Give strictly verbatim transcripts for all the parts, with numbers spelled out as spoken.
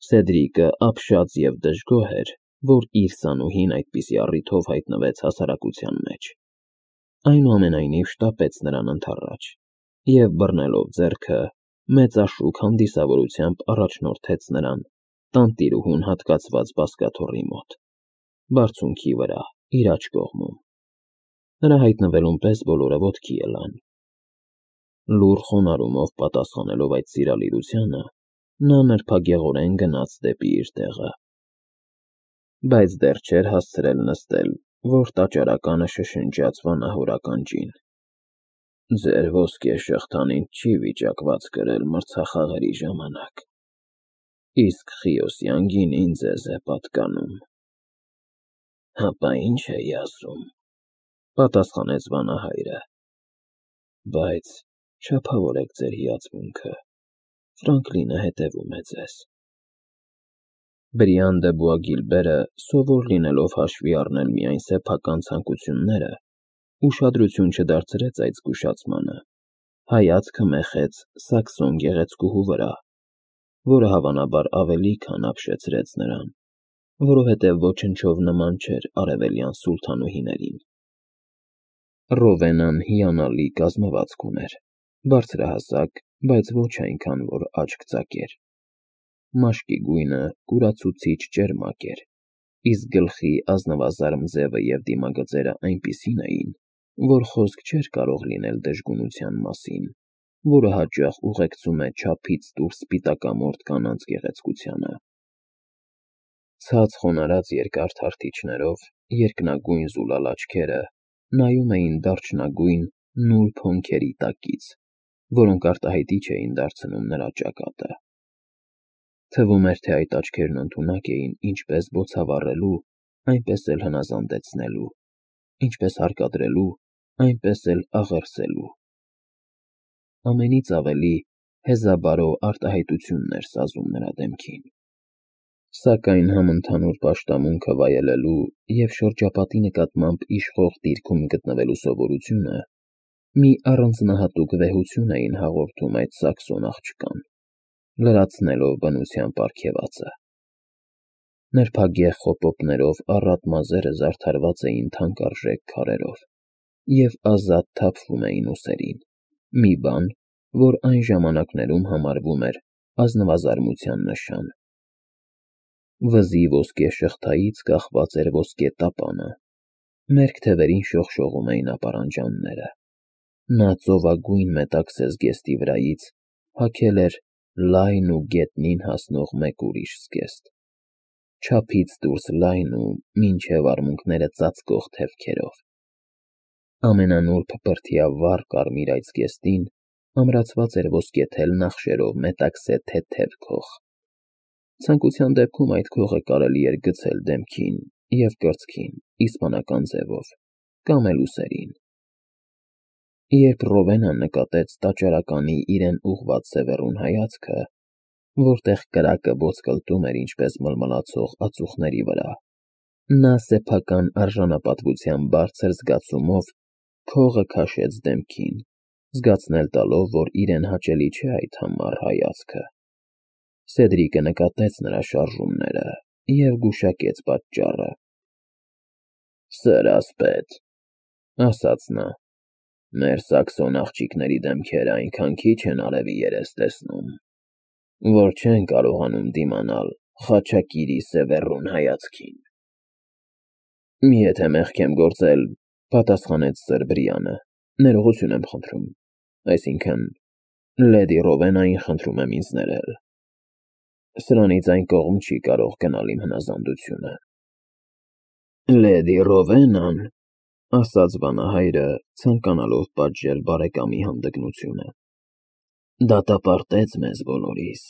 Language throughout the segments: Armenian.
Սեդրիկը ապշած և դժգոհ էր, որ իր սանուհին այդպիսի առիթով հայտնվեց հասարակության մեջ, այնուամենայնիվ շտապեց նրան ընդառաջ և, բռնելով ձեռքը, մեծաշուք հանդիսավորությամբ առաջնորդեց նրան տանտիրուհուն հատկացված բազկաթոռի մոտ, բարձունքի վրա, իր աջ կողմում: Նրա հայտնվելուն պես բոլորը ոտքի ելան: Լուռ խոնարհումով պատասխանելով այդ սիրալիրությանը, նա նրբագեղորեն գնաց դեպի իր տեղը: Բայց դեռ չէր հասցրել նստել, որ տաճարականը շշնջաց վանահոր ականջին. «Ձեր ոսկե շղթան ինձ չի վիճակված կրել մրցախաղերի ժամանակ, իսկ Խիոսյան գինին ձեզ է պատկանում»: «Հապա ի՞նչ էի ասում,- պատասխանեց վանահայրը,- բայց չափավորեք ձեր հիացմունքը, Ֆրանկլինը հետևում է ձեզ»: Բրիան դը Բուագիլբերը, սովոր լինելով հաշվի առնել միայն սեփական ցանկությունները, ուշադրություն չդարձրեց այդ զգուշացմանը, հայացքը մեխեց սաքսոն գեղեցկուհու վրա, որը հավանաբար ավելի քան ապշեցրեց նրան, որովհետև ոչնչով նման չէր արևելյան սուլթանուհիներին: Ռովենան հիանալի կազմվածք ուներ, բարձրահասակ, բայց ոչ այնքան, որ աչք ծակեր: Մաշկի գույնը կուրացուցիչ ճերմակ էր, իսկ գլխի ազնվազարմ ձևը և դիմագծերը այնպիսին էին, որ խոսք չէր կարող լինել դժգունության մասին, որը հաճախ ուղեկցում է չափից դուրս սպիտակամորթ կանանց գեղեցկությանը: Ցած խոնարհած երկար թարթիչներով երկնագույն զուլալ աչքերը նայում էին դարչնագույն նուրբ հոնքերի տակից, որոնք արտահայտիչ էին դարձնում նրա ճակատը: Թվում էր, թե այդ աչքերն ընդունակ էին ինչպես բոցավառելու, այնպես էլ հնազանդեցնելու, ինչպես հարկադրելու, այնպես էլ աղերսելու: Ամենից ավելի հեզաբարո արտահայտությունն էր սազում նրա դեմքին: Սակայն համընդհանուր պաշտամունքը վայելելու և շրջապատի նկատմամբ իշխող դիրքում գտնվելու սովորությունը մի առանձնահատուկ վեհություն էին հաղորդում այդ սաքսոն աղջկան, լրացնելով բնության պարգևածը: Նրբագեղ խոպոպներով առատ մազերը զարդարված էին թանկարժեք քարերով և ազատ թափվում էին ուսերին, մի բան, որ այն ժամանակներում համարվում էր ազնվազարմության նշան: Վզի ոսկե շղթայից կախված էր ոսկե տապանը, մերկ թևերին շողշողում էին ապարանջանները: Նա ծովագույն մետաքսե զգեստի վրայից հագել էր լայն ու գետնին հասնող մեկ ուրիշ զգեստ, չափից դուրս լայն ու մինչև արմունկները ծածկող թևքերով: Ամենանուրբ բրդյա վառ կարմիր այդ զգեստին ամրացված էր ոսկեթել նախշերով մետաքսե թեթև քող: Ցանկության դեպքում այդ քողը կարելի էր գցել դեմքին և կրծքին իսպանական ձևով կամ էլ ուսերին: Երբ Ռովենան նկատեց տաճարականի իրեն ուղղված սևեռուն հայացքը, որտեղ կրակը ոսկլտում էր ինչպես մլմլացող ածուխների վրա, նա սեփական արժանապատվության բարձր զգացումով քողը քաշեց դեմքին, զգացնել տալով, որ իրեն հաճելի չէ այդ համառ հայացքը: Սեդրիկը նկատեց նրա շարժումները և գուշակեց պատճառը: «Սեր ասպետ,- ասաց նա,- մեր սաքսոն աղջիկների դեմքերը այնքան քիչ են արևի երես տեսնում, որ չեն կարողանում դիմանալ Խաչակիրի սևեռուն հայացքին»: «Եթե մեղք եմ գործել,- պատասխանեց սըր Բրիանը,- ներողություն եմ խնդրում, այսինքն՝ լեդի Ռովենային խնդրում եմ ինձ ներել: Սրանից այն կողմ չի կարող գնալ իմ հնազանդությունը»: «Լեդի Ռովենան,- ասաց վանահայրը, ցանկանալով պատժել բարեկամի հանդգնությունը,- դատապարտեց մեզ բոլորիս: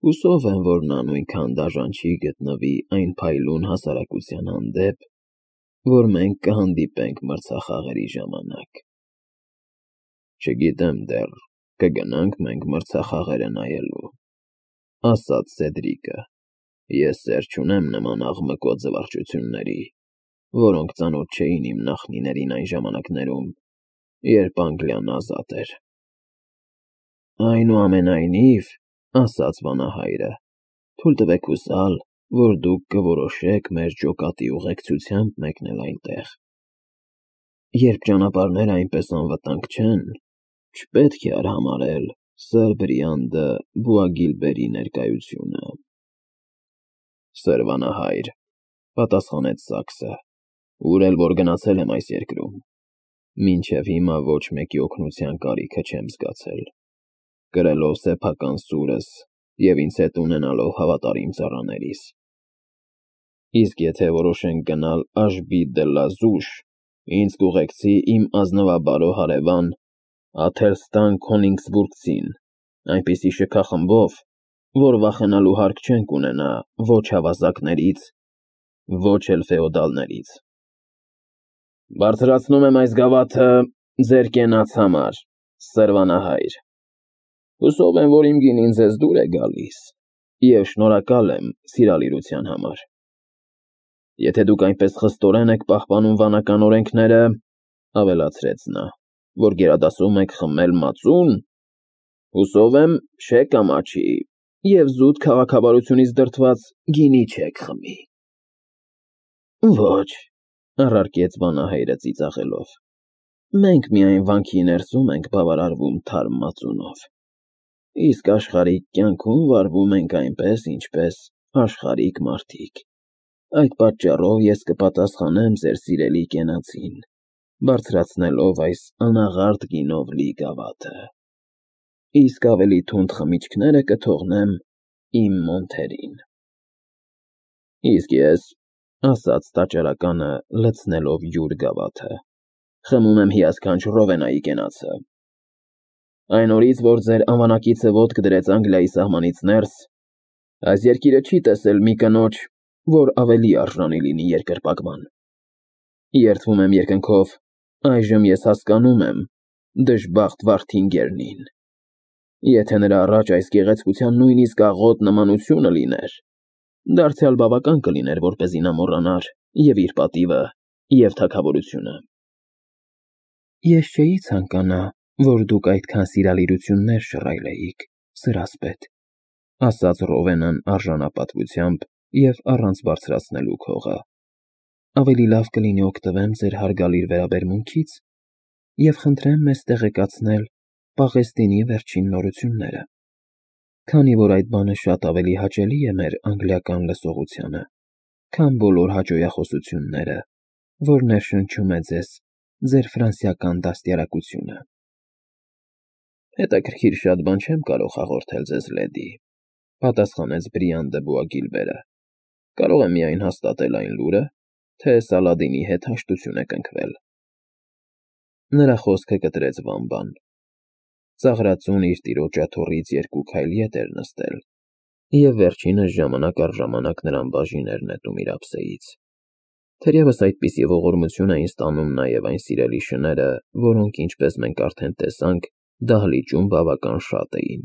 Հուսով եմ, որ նա նույնքան դաժան չի գտնվի այն փայլուն հասարակության հանդեպ, որ մենք կհանդիպենք մրցախաղերի ժամանակ»: «Չգիտեմ դեռ կգնա՞նք մենք մրցախաղերը նայելու,- ասաց Սեդրիկը,- ես սեր չունեմ նման աղմկոտ զվարճությունների, որոնք ծանոթ չէին իմ նախնիներին այն ժամանակներում, երբ Անգլիան ազատ էր»: «Այնուամենայնիվ,- ասաց վանահայրը,- թույլ տվեք հուսալ, որ դուք կորոշեք մեր ջոկատի ուղեկցությամբ մեկնել այնտեղ։ Երբ ճանապարհները այնպես անվտանգ չեն, չպետք է արհամարհել Սըր Բրիանդը Բուագիլբերի ներկայությունը։ Սրվանահայր, պատասխանեց Սաքսը, ուր էլ որ գնացել եմ այս երկրում, մինչև հիմա ոչ մեկի օգնության կարիքը չեմ զգացել, կրելով սեփական սուրս և ինձ հետ ունենալով հավատարիմ ծառաներիս։ Իսկ եթե որոշենք գնալ Աշբի դը լա Զուշ, ինձ կուղեկցի իմ ազնվաբարո հարևան Աթելստան Քոնիգսբուրգցին, այնպիսի շքախմբով, որ վախենալու հարկ չենք ունենա ոչ հավասակներից, ոչ էլ ֆեոդալներից։ Բարձրացնում եմ այս գավաթը ձեր կենաց համար, Սրվանահայր։ Հուսով եմ, որ իմ գինին ձեզ դուր է գալիս, և շնորհակալ եմ սիրալիրության համար։ Եթե դուք այնպես խստորեն եք պահպանում վանական օրենքները, ավելացրեց նա, որ գերադասում եք խմել մածուն, հուսով եմ, չեք ամաչի և զուտ քաղաքավարությունից դրդված գինի չեք խմի։ Ոչ, առարկեց վանահայրը ծիծաղելով, մենք միայն վանքի ներսում ենք բավարարվում թարմ մածունով, իսկ աշխարհիկ կյանքում վարվում ենք այնպես, ինչպես աշխարհիկ մարդիկ։ Այդ պատճառով ես կպատասխանեմ ձեր սիրելի կենացին, բարձրացնելով այս անաղարտ գինով լի գավաթը, իսկ ավելի թունդ խմիչքները կթողնեմ իմ մոնթերին։ Իսկ ես, ասաց տաճարականը լցնելով յուր գավաթը, խմում եմ հիասքանչ Ռովենայի կենացը։ Այն օրից, որ ձեր անվանակիցը ոտք դրեց Անգլիայի սահմանից ներս, այս երկիրը չի տեսել մի կնոջ, որ ավելի արժանի լինի երկրպագման։ Երդվում եմ երկնքով, այժմ ես հասկանում եմ դժբախտ Վարդինգերնին։ Եթե նրա առաջ այս գեղեցկության նույնիսկ աղոտ նմանությունը լիներ, դարձյալ բավական կլիներ, որպեսզի նա մոռանար և իր պատիվը, և թագավորությունը։ Ես չէի ցանկանա, որ դուք այդքան սիրալիրություններ շռայլեիք, սրասպետ, ասաց Ռովենան արժանապատվությամբ և առանց բարձրացնելու քողը։ Ավելի լավ կլինի օգտվեմ ձեր հարգալից վերաբերմունքից և խնդրեմ մեզ տեղեկացնել Պաղեստինի վերջին նորությունները, քանի որ այդ բանը շատ ավելի հաճելի է մեր անգլիական լսողությանը, քան բոլոր հաճոյախոսությունները, որ ներշնչում է ձեզ ձեր ֆրանսիական դաստիարակությունը։ Հետաքրքիր շատ բան չեմ կարող հաղորդել ձեզ, լեդի, պատասխանեց Բրիանդը Բուագիլբերը, կարող եմ միայն հաստատել այն լուրը, թե Սալադինի հետ հաշտություն եք ընկվել։ Նրա խոսքը կտրեց Վամբան։ Ծաղրածուն իր տիրոջ աթոռից երկու քայլ ետ էր նստել, և վերջինս ժամանակ առ ժամանակ նրան բաժին էր նետում իր ափսեից։ Թերևս այդպիսի ողորմություն էին ստանում նաև այն սիրելի շները, որոնք, ինչպես մենք արդեն տեսանք, դահլիճում բավական շատ էին։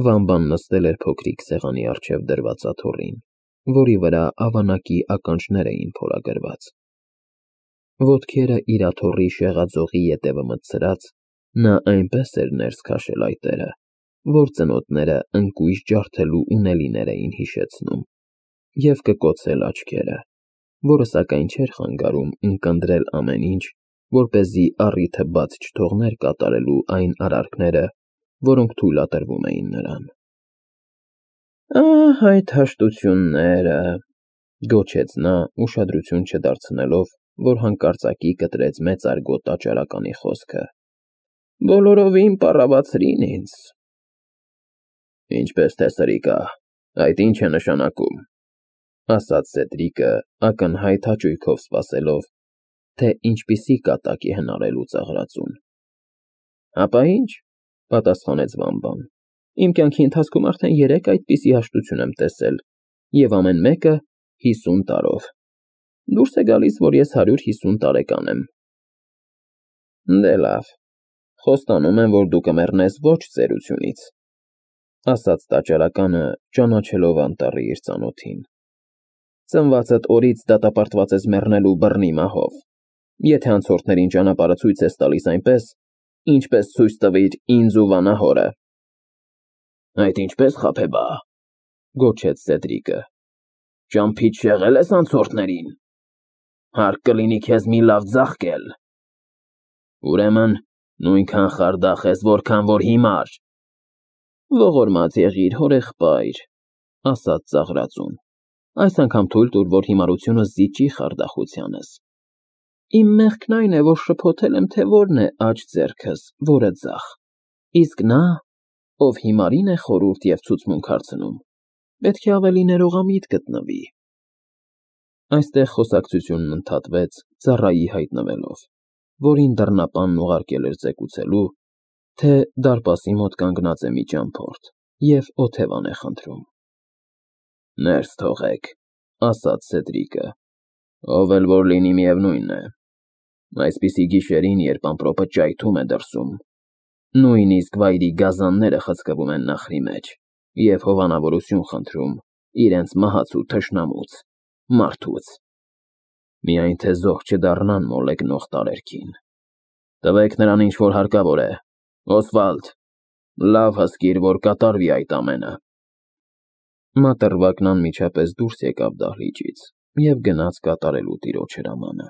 Վամբան նստել էր փոքրիկ սեղանի առջև դրված աթոռին, որի վրա ավանակի ականջներ էին փորագրված։ Ոտքերը իր աթոռի շեղաձողի ետևը մտցրած, նա այնպես էր ներս քաշել այտերը, որ ծնոտները ընկույզ ջարդելու ունելիներ էին հիշեցնում, և կկոցել աչքերը, որը սակայն չէր խանգարում ունկնդրել ամեն ինչ, որպեսզի առիթը բաց չթողներ կատարելու այն արարքները, որոնք թույլատրվում էին նրան։ Ահ, այդ հաշտությունները, գոչեց նա, ուշադրություն չդարձնելով, որ հանկարծակի կտրեց մեծարգո տաճարականի խոսքը, բոլորովին պառավացրին ինձ։ Ինչպես թե սրիկա, այդ ինչ է նշանակում, ասաց Սեդրիկը, ակնհայտ հաճույքով սպասելով, թե ինչպիսի կատակ է հնարելու ծաղրածուն։ Հապա ինչ, պատասխանեց Վամբան, իմ կյանքի ընթացքում արդեն երեք այդպիսի հաշտություն եմ տեսել, և ամեն մեկը հիսուն տարով։ Դուրս է գալիս, որ ես հարյուր հիսուն տարեկան եմ։ Դե լավ, խոստանում եմ, որ դու կմեռնես ոչ ծերությունից, ասաց տաճարականը, ճանաչելով անտառի իր ծանոթին։ Ծնվածդ օրից դատապարտված ես մեռնելու բռնի մահով, եթե անցորդներին ճանապարհը ցույց ես տալիս այնպես, ինչպես ցույց տվիր ինձ ու վանահորը։ Այդ ինչպես, Խաբեբա, Գոչեց Սեդրիկը։ Ճամփից շեղել ես անցորդներին։ Հարկ կլինի քեզ մի լավ ձաղկել։ Ուրեմն նույնքան խարդախ ես, որքան որ հիմար։ Ողորմած եղիր, հորեղբայր, ասաց ծաղրածուն, այս անգամ թույլ տուր, որ հիմարությունս զիջի խարդախությանս։ Իմ մեղքն այն է, որ շփոթել եմ, թե որն է աջ ձեռքս, որը ձախ, իսկ նա, ով հիմարին է խորհուրդ և ցուցմունք հարցնում, պետք է ավելի ներողամիտ գտնվի։ Այստեղ խոսակցությունն ընդհատվեց ծառայի հայտնվելով, որին դռնապանն ուղարկել էր ծեկուցելու, թե դարպասի մոտ կանգնած է մի ճամփորդ և օթևան է խնդրում։ Ներս թողեք, ասաց Սեդրիկը, ով էլ որ լինի, միևնույն է։ Այսպիսի գիշերին, երբ ամպրոպը ճայթում է դրսում, նույնիսկ վայրի գազանները խցկվում են նախրի մեջ և հովանավորություն խնդրում իրենց մահացու թշնամուց, մարդուց, միայն թե զոհ չդառնան մոլեգնող տարերքին։ Տվեք նրան, ինչ որ հարկավոր է, Օսվալդ, լավ հսկիր, որ կատարվի այդ ամենը։ Մատռվակն անմիջապես դուրս եկավ դահլիճից և գնաց կատարելու տիրոջ հրամանը։